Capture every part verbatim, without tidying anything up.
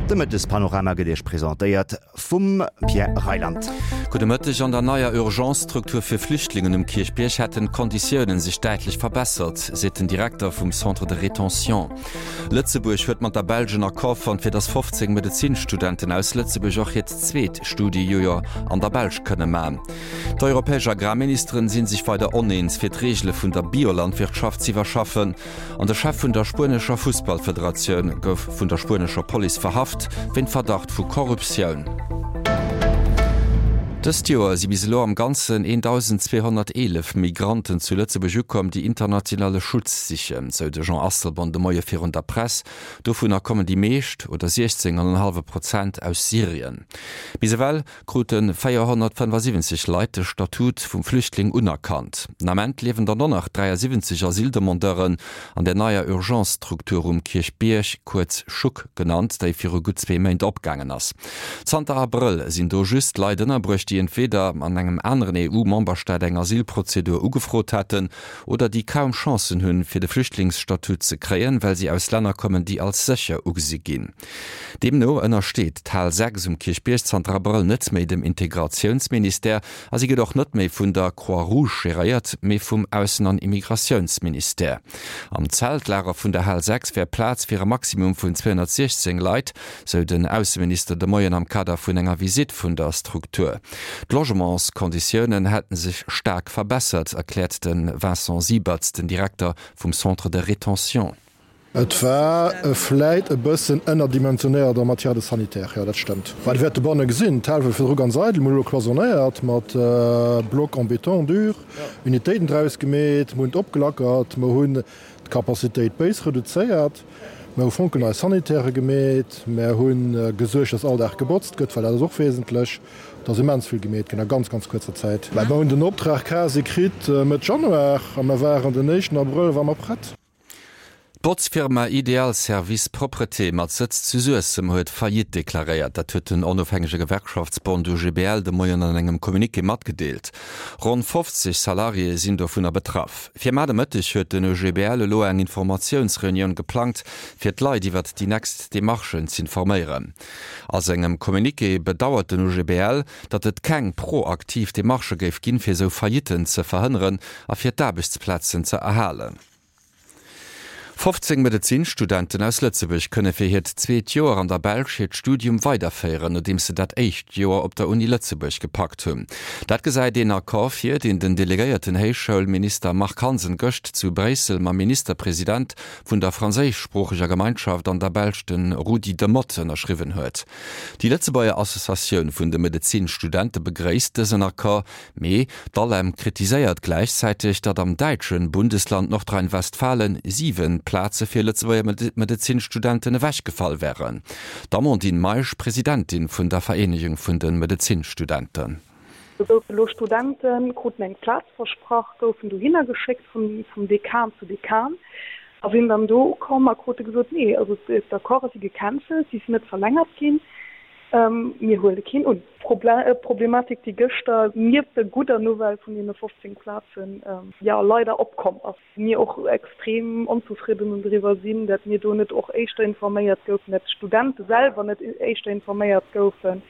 De Mëttespanorama gëtt Iech presentéiert vum Pierre Reyland. Gudde Mëtteg, An der neier Urgence-Struktur fir Flüchtlingen um Kierchbierg hätten d'Konditiounen sech däitlech verbessert, seet den Direkter vum Centre de rétention. Lëtzebuerg huet mat der Belsch en Accord fonnt, fir datt fofzéng Medezinstudenten aus Lëtzebuerg och hiert zweet Studiejoer an der Belsch kënne man. D'europäesch Agrarministeren si sech weider oneens, fir d'Reegele vun der Biolandwirtschaft z'iwwerschaffen. An de Chef vun der spuenescher Fussballfederatioun gouf vun der spuenescher Police verhaft wéint Verdacht vu Korruptioun. Dëst Joer si bis elo am Ganzen eentausendzweehonnerteelef Migranten zu Lëtzebuerg ukomm, déi internationale Schutz sichen, sou de Jean Asselborn de Moie virun der Press. Dovunner kommen déi meescht, oder siechzéng an en hallwe Prozent, aus Syrien. Bis ewell krute véierhonnertfënnefasiwwenzeg Leit de Statut vum Flüchtling unerkannt. Den Ament liewen der no nach dräiasiwwenzeg Asyldemandeuren an der neier Urgence-Struktur um Kierchbierg, kuerz CHUK genannt, déi viru gutt zwee Méint opgaangen ass. Zanter Abrëll sinn do just Leit ënnerbruecht, déi entweeder an engem aneren E U-Memberstaat eng Asylprozedur ugefrot haten oder déi kaum Chancen hunn, fir de Flüchtlingsstatut ze kréien, well si aus Länner kommen, déi als sécher ugesi ginn. Deemno ënnersteet d'Hal sechs um Kierchbierg zanter Abrëll net méi dem Integratiounsministère a si gëtt och net méi vun der Croix-Rouge geréiert, mee vum Aussen an Immigratiounsministère. Am Zeltlager vun der Hal sechs wär Plaz fir e Maximum vun zweehonnertsiechzéng Leit, sou den Ausseminister de Moien am Kader vun enger Visitt vun der Struktur. D'Logementskonditiounen hätte sech staark verbessert, erkläert de Vincent Siebert, den Direkter vum Centre de rétention. Et war vläit e bëssen ënnerdimensionéiert en matière de sanitaire, jo, dat stëmmt. Mä Dir wäert dobanne gesinn, d'Hal war virdru ganz eidel, mir hu elo cloisonnéiert mat Blocs en béton dur, Unitéiten draus gemeet, mir hunn et opgelackert, mer hunn d'Capacitéit béis reduzéiert, mer hu fonkelnei Sanitairë gemeet, mer hu gesuergt, dass all Dag gebotzt gëtt, well dat ass och wesentlech. Et ass immens vill gemeet ginn a ganz, ganz kuerzer Zäit. Mä mer hunn den Optrag quasi kritt Mëtt Januar a mer waren den éischten Abrëll ware mer prett. D'Botzfirma Ideal Service Propreté mat Sëtz zu Suessem huet Faillite deklaréiert. Dat huet den onofhängege Gewerkschaftsbond U G B L de Moien an engem Communiqué matgedeelt. Ronn fofzeg Salariéë sinn dovunner betraff. Fir mar de Mëtteg huet den U G B L elo eng Informatiounsreunioun geplangt, fir d'Leit iwwert déi nächst Demarchen z'informéieren. A sengem Communiqué bedauert den U G B L, datt et keng proaktiv Demarchë géif ginn, fir sou Faillitten ze verhënneren a fir d'Aarbechtsplazen ze erhalen. fofzéng Medezinstudenten aus Lëtzebuerg kënne fir hiert zweet Joer an der Belsch hiert Studium weiderféieren, nodeems se dat éischt Joer op der Uni Lëtzebuerg gepackt hunn. Dat gesäit een Accord vir, deen den delegéierten Héichschoulminister Marc Hansen gëscht zu Bréissel mam Ministerpresident vun der franséischsproocheger Gemeinschaft an der Belsch, de Rudy Demotte, ënnerschriwwen huet. Déi Lëtzebuerger Associatioun vun de Medezinstudente begréisst dësen Accord, mee d'ALEM kritiséiert gläichzäiteg, datt am däitsche Bundesland Nordrhein-Westfalen siwen Plaze fir Lëtzebuerger Medezinstudenten ewechgefall wären. D'Amandine Meisch, Presidentin vun der Vereenegung vun de Medezinstudenten. Do goufe lo Studenten, kruten eng Plaz versprach, goufen dohinner geschéckt vum, vum Dekan zu Dekan a sinn dann do ukomm a krute gesot, nee, also d'Accorde si gecancelt, si sinn net verlängert ginn, ähm, mir huele keen un. Proble Problematik, déi gëschter nieft der gudder Nouvelle vun deene fofzéng Plazen, ähm, ja leider opkomm ass. Mir och extrem onzefridden driwwer sinn, datt mir do net och éischter informéiert goufen, datt d'Studente selwer net éischter informéiert goufen.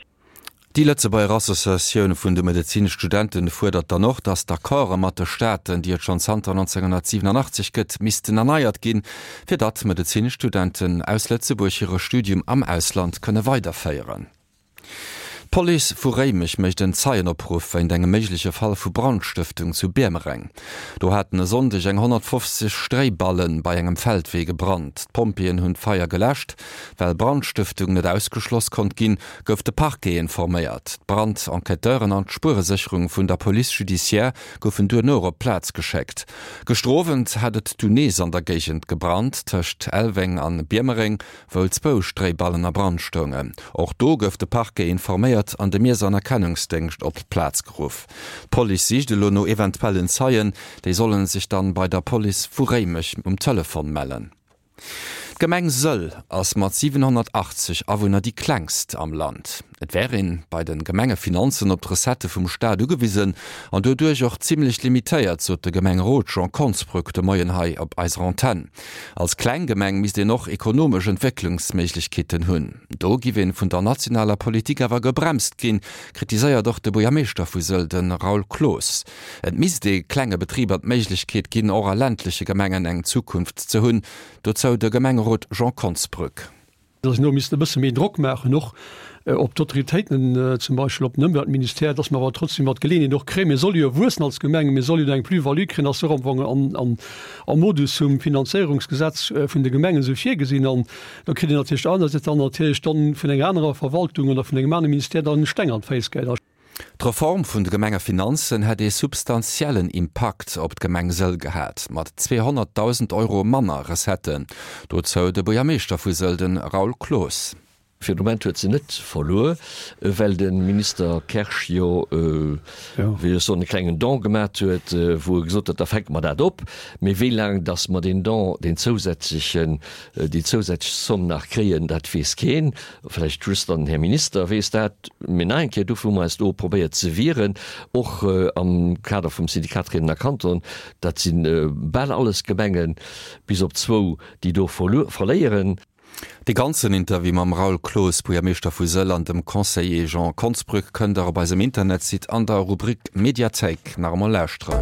Déi Lëtzebuerger Associatioun vun de Medezinstudenten fuerdert dann och, datt d'Accorde mat de Staaten, déi et schonn zanter nonzénghonnertsiwwenanachtzeg gëtt, missten erneiert ginn, fir datt Medezinstudenten aus Lëtzebuerg hire Studium am Ausland kënne weiderféieren. D'Police vu Réimech mécht en Zeienopruff wéint engem méigleche Fall vu Brandstëftung zu Biermereng. Do haten e Sonndeg eng honnertfofzeg Stréiballen bei engem Feldwee gebrannt. D'Pompjeeën hunn d'Feier geläscht. Well Brandstëftung net ausgeschloss konnt ginn, gouf de Parquet informéiert. D'Brand-Enquêteuren an d'Spueresécherung vun der Police judiciaire goufen duerno op d'Plaz geschéckt. Gëschter Owend hat et dunn nees an der Géigend gebrannt, tëscht Elweng an Biermereng, wou zwou Stréiballen a Brand stoungen. Och do gouf de Parquet informéiert an de Miess an Erkennungsdéngscht op d'Plaz geruff. D'Police sicht elo no eventuellen Zeien, déi solle sech dann bei der Police vu Réimech um Telefon mellen. D'Gemeng Sëll ass mat siwenhonnertachtzeg Awunner déi klengst am Land. Et wär een bei de Gemengefinanzen op d'Recettë vum Staat ugewisen an doduerch och zimmlech limitéiert, sot de Gemengerot Jean Konsbrück de Moien hei op eiser Antenn. Als kleng Gemeng misst een och ekonomesch Entwécklungsméiglechkeeten hunn. Do giff een vun der nationaler Politik awer gebremst ginn, kritiséiert och de Buergermeeschter vu Sëll, de Raoul Cloos. Et misst ee klenge Betriber d'Méiglechkeet ginn, och a ländleche Gemengen eng Zukunft ze hunn. Dozou de Gemengerot Jean Konsbrück. Dass een do misst e bësse méi Drock maachen, och op d'Autoritéiten, zum Beispill op den Ëmweltministère, dass mer awer trotzdem mat Geleeënheet och kréien, mir solle jo wuessen als Gemeng, mir solle jo do eng Plus-value kréien, ass jo och am Fong am Modus vum Finanzéierungsgesetz vun de Gemengen esou virgesinn. An da kritt een natierlech anersäits dann natierlech dann vun enger anerer Verwaltung oder vun engem anere Ministère dann Steng an d'Féiss geheit. D'Reform vun de Gemengefinanzen hätt ee substantiellen Impakt op d'Gemeng Sëll gehat, mat zweehonnertdausend Euro manner Recetten. Dozou de Buergermeeschter vu Sëll, de Raoul Cloos. Fir de Moment huet se net verluer, well de Minister Kersch jo, wéi ech soen, e klengen Don gemat huet, wou e gesot huet, da fänke mer dat op. Mee wéi laang datt mer deen Don, deen zousätzlechen, déi zousätzlech Zomm nach kréien, dat weess keen. Vläicht just dann den Här Minister weess dat. Mee nach eng Kéier, dofir hu mer eis do probéiert ze wieren, och am Kader vum Syndikat Réidener Kanton. Dat si bal alles Gemengen, bis op zwou, déi do verléieren. De ganzen Interview mam Raoul Cloos, Buergermeeschter vu Sëll, an dem Conseiller Jean Konsbrück kënnt der op eisem Internetsite an der Rubrik Mediathéik nach emol lauschteren.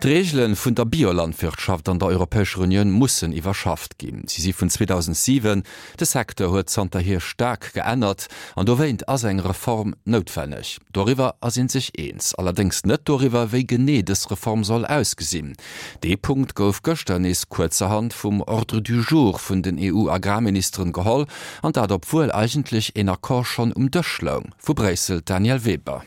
D'Reegele vun der Biolandwirtschaft an der Europäescher Unioun mussen iwwerschafft ginn. Si si vun zweedausendsiwen. De Secteur huet zanterhier staark geännert an dowéint ass eng Reform noutwenneg. Doriwwer ass ee sech eens, allerdéngs net doriwwer, wéi genee dës Reform soll ausgesinn. Dee Punkt gouf gëschter nees kuerzerhand vum Ordre du jour vun den E U-Agrarministeren geholl, an dat obwuel eigentlech een Accord schonn um Dësch loung. Vu Bréissel d'Danièle Weber.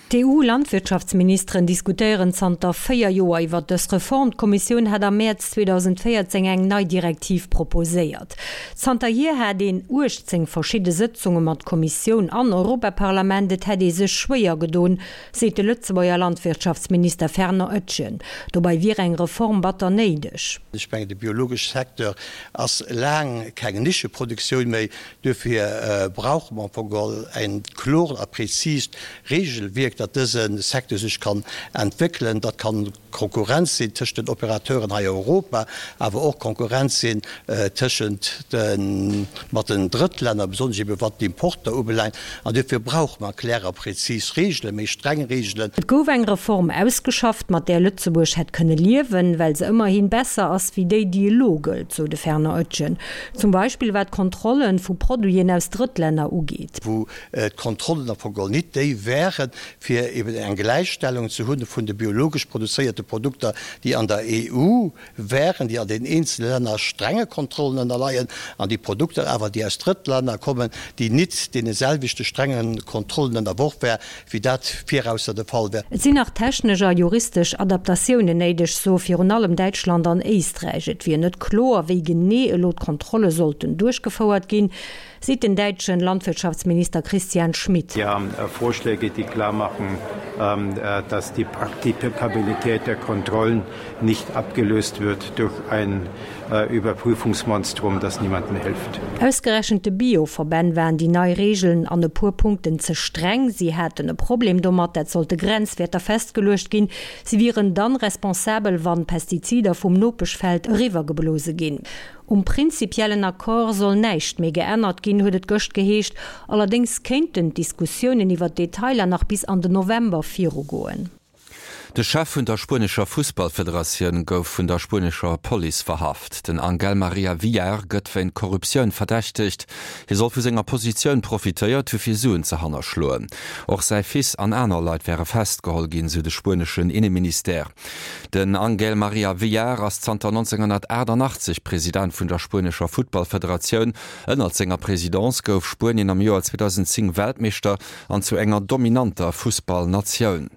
D'E U-Landwirtschaftsministeren diskutéieren zanter véier Joer iwwer dës Reform. D'Kommissioun hat am Mäerz zweedausendvéierzéng eng nei Direktiv proposéiert. Zanterhier hat een uechtzéng verschidde Sëtzunge mat Kommissioun an Europaparlament. Et hätt ee sech schwéier gedoen, seet de Lëtzebuerger Landwirtschaftsminister Fernand Etgen. Dobäi wier eng Reform batter néideg. Ech mengen, de biologesche Secteur ass laang keng Nischeproduktioun méi. Duerfir brauche mer am Fong geholl e kloert a präzist Regelwierk, datt dëse Secteur sech kann entwéckelen. Dat kann Konkurrenz sinn tëschent den Operateuren hei a Europa, awer och Konkurrenz sinn tëschent de mat den Drëttlänner, besonnesch ebe wat d'Importer ubelaangt. An duerfir brauche mer klär a präzis Regelen, méi streng Regelen. Et gouf eng Reform ausgeschafft, mat där Lëtzebuerg hätt kënne liewen, well se ëmmerhi besser ass wéi déi, déi elo gëllt, sou de Fernand Oetjen. Zum Beispill wat d'Kontrolle vu Produiten aus Drëttlänner ugeet. Wou d'Kontrollen am Fong geholl nit déi wären, fir eben eng Gläichstellung ze hunn vun de biologesch produzéierte Produkter, déi an der E U wären, déi an den eenzele Länner strenge Kontrollen ënnerleien, an déi Produkter awer, déi aus Drëttlänner kommen, déi nit deene selwechte strenge Kontrollen ënnerworf wär, wéi dat virausser de Fall wär. Et sinn nach technesch a juristesch Adaptatiounen néideg, soe virun allem Däitschland an Éisträich. Et wier net kloer, wéi genee elo d'Kontrolle sollten duerchgefouert ginn, seet den däitschen Landwirtschaftsminister Christian Schmidt. Wir haben Vorschläge, die klar machen, dass die Praktikabilität der Kontrollen nicht abgelöst wird durch ein Überprüfungsmonstrum, das niemandem hilft. Ausgerechent de Bio-Verbänn waren déi nei Regeln an e puer Punkten ze streng. Si hätten e Problem domat, dat sollte Grenzwäerter festgeluecht ginn. Si wieren dann responsabel, wann Pestizider vum Nopeschfeld eriwwergeblose ginn. Um prinzipiellen Accord soll näischt méi geännert ginn, huet et gëscht geheescht. Allerdéngs kéinten d'Diskussiounen iwwer d'Detailer nach bis an den November virugoen. De Chef vun der spuenescher Fussballfederatioun gouf vun der spuenescher Police verhaft. Den Angel Maria Villar gëtt wéint Korruptioun verdächtegt. Hie soll vu senger Positioun profitéiert hu fir Suen ze hannerschloen. Och säi Fils an aner Leit wäre festgeholl ginn, sou de spueneschen Inneministère. Den Angel Maria Villar ass zanter nonzénghonnertaachtanachtzeg President vun der spuenescher Futtballfederatioun. Ënnert senger Presidence gouf Spuenien am Joer zweedausendzéng Weltmeeschter an zu enger dominanter Fussballnatioun.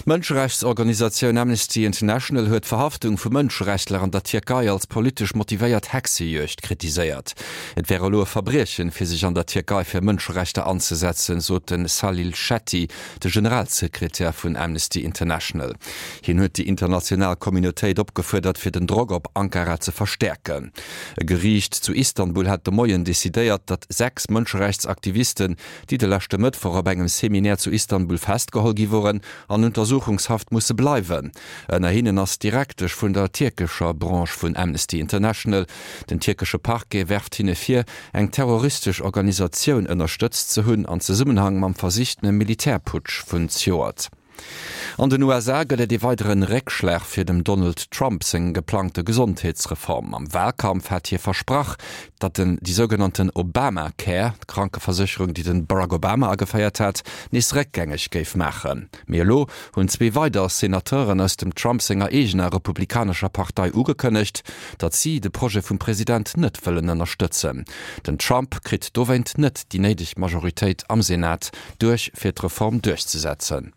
D'Mënscherechtsorganisatioun Amnesty International huet d'Verhaftung vu Mënscherechtler an der Tierkei als politesch motivéiert Hexejuegd kritiséiert. Et wär elo e Verbriechen, fir sech an der Tierkei fir Mënscherechter anzesetzen, sot de Salil Shetty, de Generalsekretär vun Amnesty International. Hien huet déi international Communautéit opgefuerdert, fir den Drock op Ankara ze verstäerken. E Geriicht zu Istanbul hat de Moien decidéiert, datt sechs Mënscherechtsaktivisten, déi de leschte Mëttwoch op engem Seminaire zu Istanbul festgeholl gi woren, an Untersuchungshaft musse bleiwen. Ënner hinnen ass d'Direktesch vun der tierkescher Branche vun Amnesty International. Den tierkesche Parquet werft hinne vir, eng terroristesch Organisatioun ënnerstëtzt ze hunn an Zesummenhang mam versichtene Militärputsch vun zejoert. An den U S A gëtt et ee weideren Réckschlag fir dem Donald Trump seng geplangte Gesondheetsreform. Am Wahlkampf hat hie versprach, datt en déi sougenannten Obamacare, d'Krankeversécherung, déi den Barack Obama ageféiert hat, nees réckgängeg géif maachen. Mee elo hunn zwee weider Senateuren aus dem Trump senger eegener republikanescher Partei ugekënnegt, datt si de Projet vum President net wëllen ënnerstëtzen. Den Trump kritt dowéint net déi néideg Majoritéit am Senat duerch, fir d'Reform duerchzesetzen.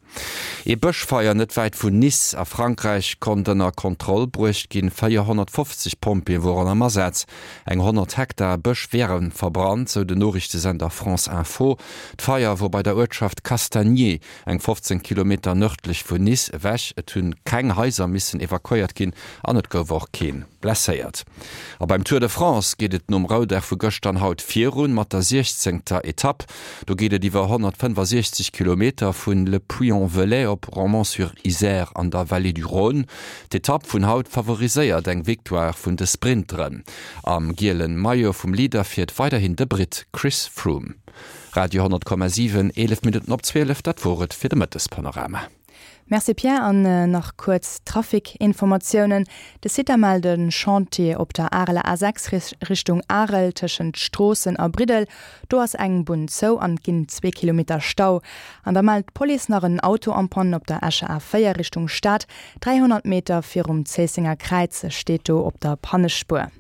Ee Bëschfeier net wäit vun Nice a Frankräich konnt ënner Kontroll bruecht ginn. véierhonnertfofzeg Pompjeeë woren am Asaz. Eng honnert Hektar Bësch wiere verbrannt, sou den Noriichtesender France Info. D'Feier wor bei der Uertschaft Castagnier, eng fofzéng Kilometer nërdlech vun Nice ewech. Et hunn keng Haiser missen evakuéiert ginn an et gouf och kee blesséiert. A beim Tour de France geet et nom Roudag vu gëschter an haut virun mat der siechzéngter Etapp. Do geet et iwwer honnertfënnefasiechzeg Kilometer vun Le Puy-en-Velay op Romans-sur-Isère an der Vallée du Rhône. D'Etapp vun haut favoriséiert eng Victoire vun de Sprinteren. Am gielen Maillot vum Leader fiert weiderhin de Britt Chris Froome. Radio honnert Komma siwen, eelef Minutten op zwielef, dat wor et fir de Mëttespanorama. Merci Pierre an nach kuerz Trafikinformatiounen. De Site mellt e Chantier op der Areler A sechs Richtung Arel tëschent Stroossen a Briddel. Do ass eng Bunn zou an et ginn zwee Kilometer Stau. An da mellt d'Police nach en Auto en panne op der Escher A véier Richtung Stad. dräihonnert Meter virum Zéissenger Kräiz steet do op der Pannespuer.